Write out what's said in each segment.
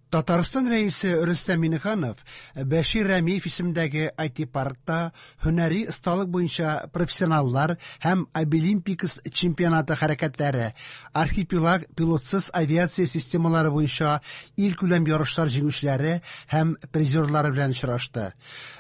Татарстан Рәисе Рөстәм Миңнеханов Бәшир Рәмиев исемендәге IT-паркта һөнәри осталык буенча профессионаллар һәм Абилимпикс чемпионаты хәрәкәтләре, Архипелаг пилотсыз авиация системалары буенча илкүләм ярышлар җиңүчеләре һәм призерлары белән очрашты.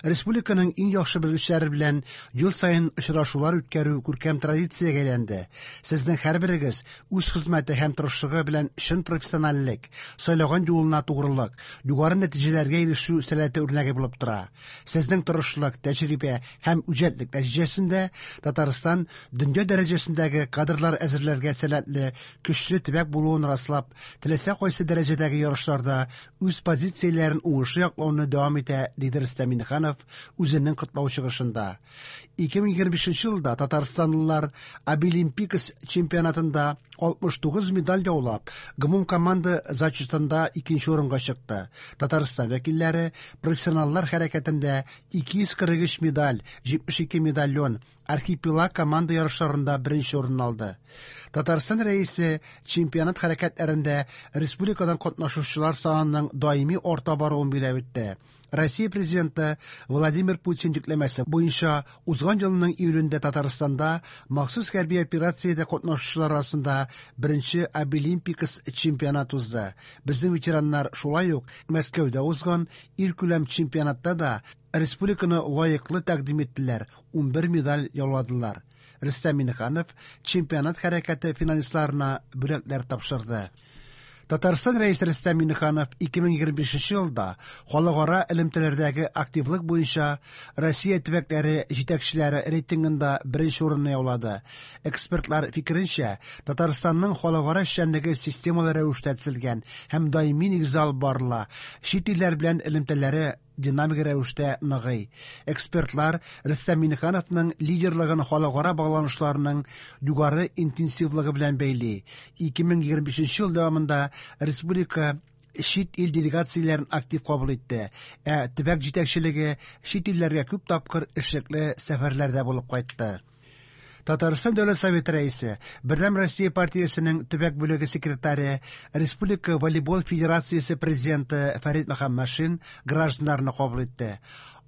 Республиканың иң яхшы белгечләре белән ел саен очрашулар үткәрү күркәм традициягә әйләнде. Сезнең һәрберегез үз хезмәте һәм тырышлыгы белән чын профессиональлек, сайлаган юлына тугрылык, югары нәтиҗәләргә ирешү сәләте үрнәге булып тора. Сезнең тырышлык, тәҗрибә һәм үҗәтлек нәтиҗәсендә Татарстан дөнья дәрәҗәсендәге кадрлар әзерләргә сәләтле көчле төбәк булуын раслап, теләсә кайсы дәрәҗәдәге ярышларда үз позицияләрен уңышлы яклауны дәвам итә, диде Рөстәм Миңнеханов үзенең котлау чыгышында. 2025 елда татарстанлылар Абилимпикс чемпионатында 69 медаль яулап, гомумкоманда зачетында икенче урынга чыкты. Татарстан вәкилләре профессионаллар хәрәкәтендә 243 медаль, 72 медальон, Архипелаг команда ярышларында беренче урын алды. Татарстан Рәисе чемпионат хәрәкәтләрендә республикадан катнашучылар санының даими арта баруын билгеләп үтте. Россия Президенты Владимир Путин йөкләмәсе буенча узган елның июлендә Татарстанда махсус хәрби операциядә катнашучылар арасында беренче Абилимпикс чемпионат узды. Безнең ветераннар шулай ук Мәскәүдә узган илкүләм чемпионатта да республиканы лаеклы тәкъдим иттеләр, 11 медаль яуладылар. Рөстәм Миңнеханов чемпионат хәрәкәте финалистларына бүләкләр тапшырды. Татарстан Рәисе Рөстәм Миңнеханов 2025 елда халыкара элемтәләрдәге активлык буенча Россия төбәкләре җитәкчеләре рейтингында беренче урынны яулады. Экспертлар фикеренчә, Татарстанның халыкара эшчәнлеге системалы рәвештә төзелгән һәм даими нигездә алып барыла. Чит илләр белән элемтәләре динамик рәвештә ныгый. Экспертлар Рөстәм Миңнехановның лидерлыгын халыкара багланышларның югары интенсивлыгы белән бәйли. 2025 ел дәвамында республика чит ил делегацияләрен актив кабул итте, ә төбәк җитәкчелеге чит илләргә күп тапкыр эшлекле сәфәрләрдә булып кайтты. Татарстан Дәүләт Советы рәисе, Бердәм Россия партиясенең төбәк бүлеге секретаре, Республика волейбол федерациясе президенты Фәрит Мөхәммәтшин гражданнарны кабул итте.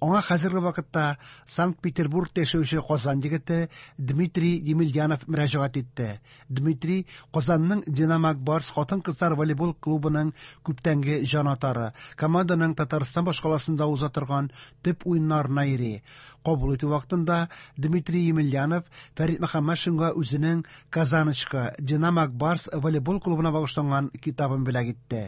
Аңа хәзерге вакытта Санкт-Петербургта яшәүче Казан егете Дмитрий Емельянов мөрәҗәгать итте. Дмитрий Казанның Динамо Барс хатын-кызлар волейбол клубының күптәнге җанатары, команданың Татарстан башкаласында уза торган төп уеннарына йөри. Кабул итү вакытында Дмитрий Емельянов Фәрит Мөхәммәтшинга үзенең Казаночка Динамо Барс волейбол клубына багышланган китабын бүләк итте.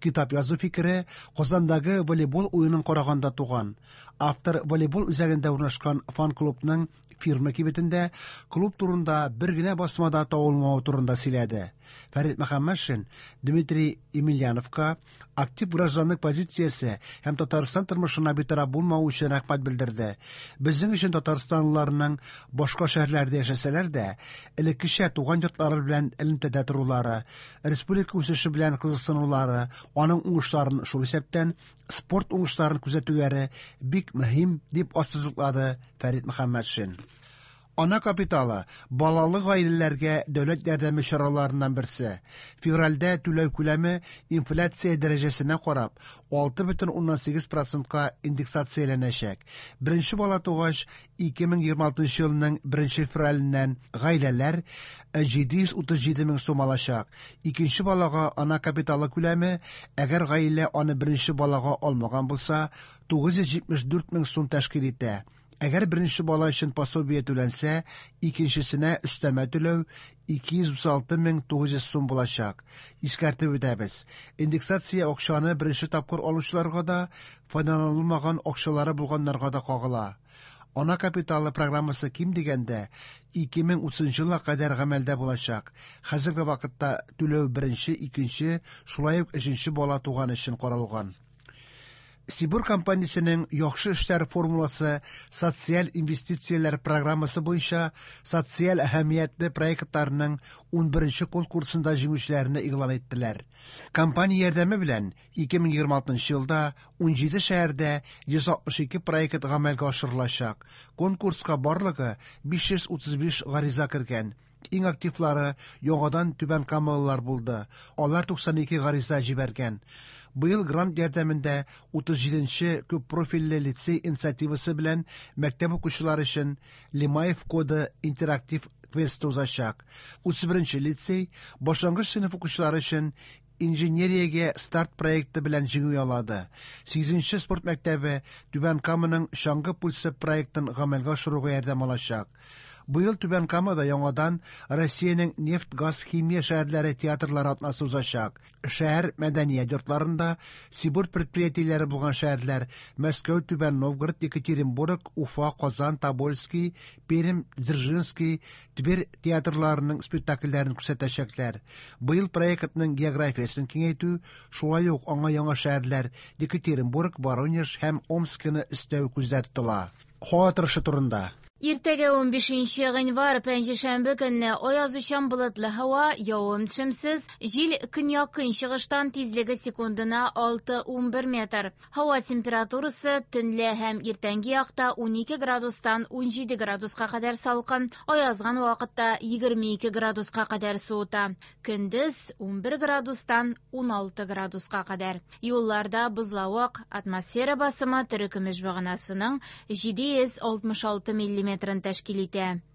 Китап язу фикере Казандагы волейбол уенын караганда туган. Автор волейбол үзәгендә урнашкан фан-клубның фирма кибетендә клуб турында бер генә басма да табылмавы турында сөйләде. Фәрит Мөхәммәтшин Дмитрий Емельяновка актив гражданлык позициясе һәм Татарстан тормышына битараф булмавы өчен рәхмәт белдерде. Безнең өчен татарстанлыларның башка шәһәрләрдә яшәсәләр дә, элеккечә туган йортлары белән элемтәдә торулары, республика үсеше белән кызыксынулары, аның уңышларын, шул исәптән спорт уңышларын күзәтүләре бик мөһим, дип ассызыклады Фәрит Мөхәммәтшин. Ана капиталы балалы гаиләләргә дәүләт ярдәме чараларыннан берсе. Февральдә түләү күләме инфляция дәрәҗәсенә карап 6,8 процентка индексацияләнәчәк. Беренче бала тугач 2026 елның 1 февраленнән гаиләләр 737 мең сум алачак. Икенче балага ана капиталы күләме, әгәр гаилә аны беренче балага алмаган булса, 974 мең сум тәшкил итә. Әгәр беренче бала өчен пособие түләнсә, икенчесенә өстәмә түләү 236 мең 900 сум булачак. Искәртеп үтәбез. Индексация акчаны беренче тапкыр алучыларга да, файдаланылмаган акчалары булганнарга да кагыла. Ана капиталы программасы ким дигәндә 2030 елга кадәр гамәлдә булачак. Хәзерге вакытта түләү беренче, икенче, шулай ук өченче бала туган өчен каралган. Сибур компаниясенең яхшы эшләр формуласы социаль инвестицияләр программасы буенча социаль әһәмиятле проектларның 11 конкурсында җиңүчеләрне игълан иттеләр. Компания ярдәме белән 2026 елда 17 шәһәрдә 162 проект гамәлгә ашырылачак. Конкурска барлыгы 535 гариза кергән. Иң активлары яңадан түбәнкамалылар булды. Алар 92 гариза җибәргән. Быел грант ярдәмендә 37 нче күппрофильле лицей инициативасы белән мәктәп укучылары өчен Лемаев коды интерактив квесты узачак. 31 нче лицей башлангыч сыйныф укучылары өчен Инженериягә старт проекты белән җиңү яулады. Сигезенче спорт мәктәбе Түбән Каманың Чаңгы пульсы проектын гамәлгә ашыруга ярдәм алачак. Быел Түбән Камада яңадан Россиянең нефть-газ-химия шәһәрләре театрлары атнасы узачак. Шәһәр мәдәният йортларында СИБУР предприятиеләре булган шәһәрләр Мәскәү, Түбән Новгород, Екатеринбург, Уфа, Казан, Тобольски, Пермь, Дзержинский, Тверь театрларының спектакльләрен күрсәтәчәкләр. Быел проектның географиясен киңәйтү, шулай ук аңа яңа шәһәрләр Екатеринбург, Воронеж һәм Омскины өстәү күздә тотыла. Һава торышы турында. Иртәгә 15 гыйнвар пәнҗешәмбе көнне аязучан болытлы һава, явым-төшемсез, җил көньяк-көнчыгыштан тизлеге секундына 6-11 метр. Һава температурасы төнлә һәм иртәнге якта 12 градустан 17 градуска кадәр салкын, аязган вакытта 22 градуска кадәр суыта. Көндез 11 градустан 16 градуска кадәр. Юлларда бозлавык, атмосфера басымы терекөмеш баганасының 766 миллиметрын тәшкил итә.